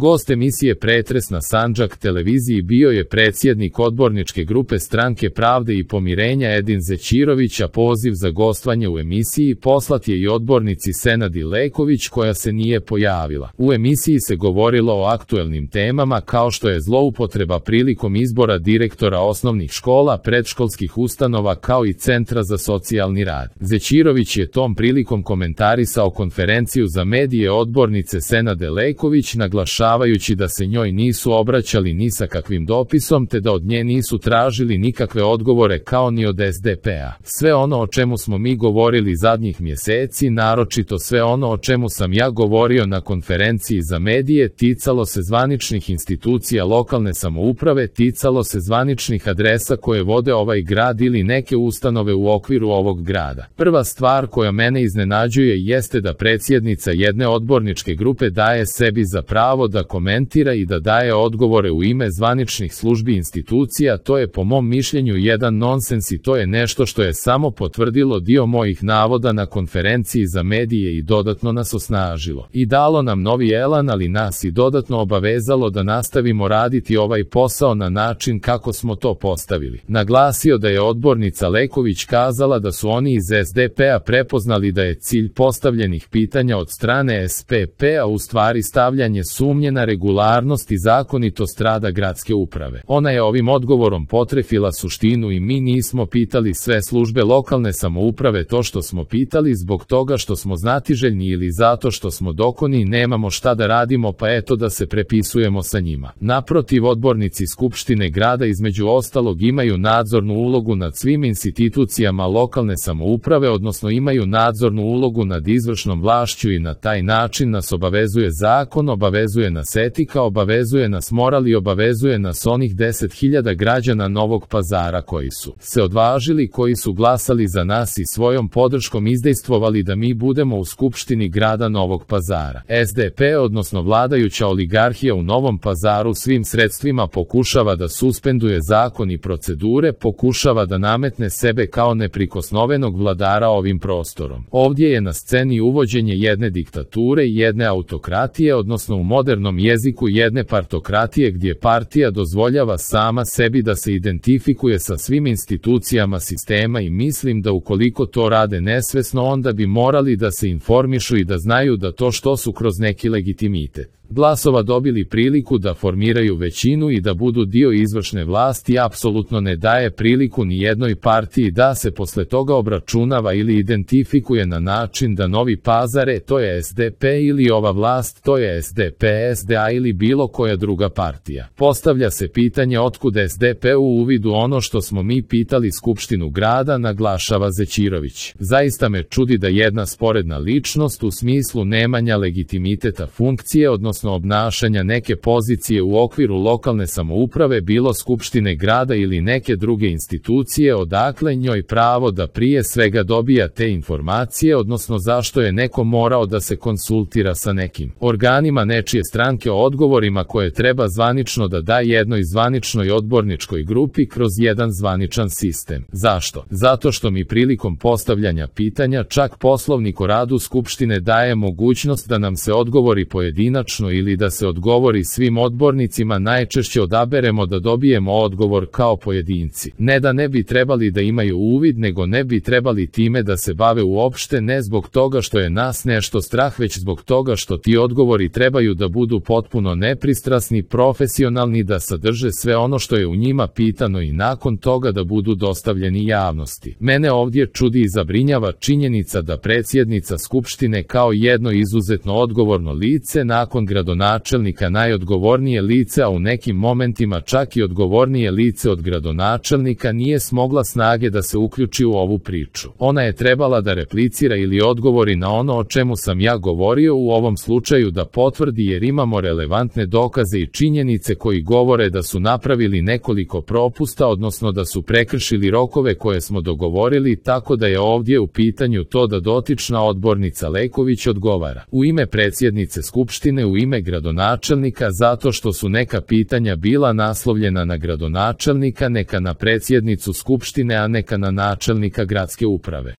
Gost emisije Pretres na Sandžak televiziji bio je predsjednik odborničke grupe Stranke pravde i pomirenja Edin Zećirović, a poziv za gostovanje u emisiji poslat je i odbornici Senadi Leković, koja se nije pojavila. U emisiji se govorilo o aktuelnim temama kao što je zloupotreba prilikom izbora direktora osnovnih škola, predškolskih ustanova kao i Centra za socijalni rad. Zećirović je tom prilikom komentarisao konferenciju za medije odbornice Senade Leković, naglašavajući da se njoj nisu obraćali ni sa kakvim dopisom te da od nje nisu tražili nikakve odgovore kao ni od SDP-a. Sve ono o čemu smo mi govorili zadnjih mjeseci, naročito sve ono o čemu sam ja govorio na konferenciji za medije, ticalo se zvaničnih institucija lokalne samouprave, ticalo se zvaničnih adresa koje vode ovaj grad ili neke ustanove u okviru ovog grada. Prva stvar koja mene iznenađuje jeste da predsjednica jedne odborničke grupe daje sebi za pravo da komentira i da daje odgovore u ime zvaničnih službi institucija. To je po mom mišljenju jedan nonsens i to je nešto što je samo potvrdilo dio mojih navoda na konferenciji za medije i dodatno nas osnažilo. I dalo nam novi elan, ali nas i dodatno obavezalo da nastavimo raditi ovaj posao na način kako smo to postavili. Naglasio da je odbornica Leković kazala da su oni iz SDP-a prepoznali da je cilj postavljenih pitanja od strane SPP-a u stvari stavljanje sumnje na regularnost i zakonitost rada gradske uprave. Ona je ovim odgovorom potrefila suštinu i mi nismo pitali sve službe lokalne samouprave to što smo pitali zbog toga što smo znatiželjni ili zato što smo dokoni i nemamo šta da radimo pa eto da se prepisujemo sa njima. Naprotiv, odbornici Skupštine grada između ostalog imaju nadzornu ulogu nad svim institucijama lokalne samouprave, odnosno imaju nadzornu ulogu nad izvršnom vlašću i na taj način nas obavezuje zakon, obavezuje nas etika, obavezuje nas moral i obavezuje nas onih 10.000 građana Novog Pazara koji su se odvažili, koji su glasali za nas i svojom podrškom izdejstvovali da mi budemo u Skupštini grada Novog Pazara. SDP, odnosno vladajuća oligarhija u Novom Pazaru svim sredstvima pokušava da suspenduje zakon i procedure, pokušava da nametne sebe kao neprikosnovenog vladara ovim prostorom. Ovdje je na sceni uvođenje jedne diktature i jedne autokratije, odnosno u modernom jeziku jedne partokratije gdje partija dozvoljava sama sebi da se identifikuje sa svim institucijama sistema i mislim da ukoliko to rade nesvesno onda bi morali da se informišu i da znaju da to što su kroz neki legitimitet glasova dobili priliku da formiraju većinu i da budu dio izvršne vlasti apsolutno ne daje priliku ni jednoj partiji da se posle toga obračunava ili identifikuje na način da Novi Pazar to je SDP ili ova vlast to je SDP, SDA ili bilo koja druga partija. Postavlja se pitanje otkud SDP u uvidu ono što smo mi pitali Skupštinu grada, naglašava Zećirović. Zaista me čudi da jedna sporedna ličnost u smislu nemanja legitimiteta funkcije, odnosno obnašanja neke pozicije u okviru lokalne samouprave, bilo Skupštine grada ili neke druge institucije, odakle njoj pravo da prije svega dobija te informacije, odnosno zašto je neko morao da se konsultira sa nekim organima nečije stranke o odgovorima koje treba zvanično da da jednoj zvaničnoj odborničkoj grupi kroz jedan zvaničan sistem. Zašto? Zato što mi prilikom postavljanja pitanja čak Poslovnik o radu Skupštine daje mogućnost da nam se odgovori pojedinačno ili da se odgovori svim odbornicima, najčešće odaberemo da dobijemo odgovor kao pojedinci. Ne da ne bi trebali da imaju uvid, nego ne bi trebali time da se bave uopšte, ne zbog toga što je nas nešto strah, već zbog toga što ti odgovori trebaju da budu potpuno nepristrasni, profesionalni, da sadrže sve ono što je u njima pitano i nakon toga da budu dostavljeni javnosti. Mene ovdje čudi i zabrinjava činjenica da predsjednica Skupštine kao jedno izuzetno odgovorno lice, nakon gradonačelnika najodgovornije lice, a u nekim momentima čak i odgovornije lice od gradonačelnika, nije smogla snage da se uključi u ovu priču. Ona je trebala da replicira ili odgovori na ono o čemu sam ja govorio, u ovom slučaju da potvrdi, jer imamo relevantne dokaze i činjenice koji govore da su napravili nekoliko propusta, odnosno da su prekršili rokove koje smo dogovorili, tako da je ovdje u pitanju to da dotična odbornica Leković odgovara u ime predsjednice Skupštine, u ime gradonačelnika, zato što su neka pitanja bila naslovljena na gradonačelnika, neka na predsjednicu Skupštine, a neka na načelnika gradske uprave.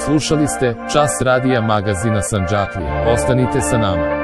Slušali ste Čas radija magazina Sandžaklija. Ostanite sa nama.